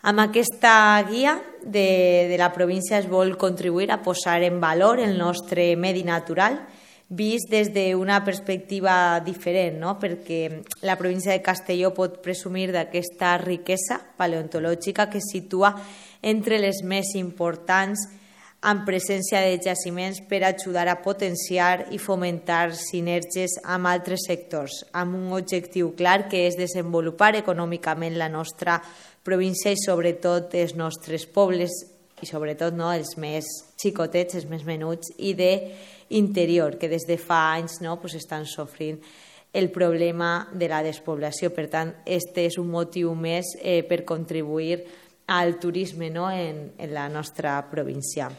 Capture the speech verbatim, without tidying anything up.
Amb aquesta guia de, de la província es vol contribuir a posar en valor el nostre medi natural vist des d'una perspectiva diferent, no? Perquè la província de Castelló pot presumir d'aquesta riquesa paleontològica que es situa entre les més importants en presència de jaciments per ajudar a potenciar i fomentar sinergies amb altres sectors, amb un objectiu clar que és desenvolupar econòmicament la nostra província i sobretot els nostres pobles i sobretot no, els més xicotets, els més menuts i d'interior, que des de fa anys no, pues estan sofrint el problema de la despoblació. Per tant, aquest és un motiu més eh, per contribuir al turisme no, en, en la nostra província.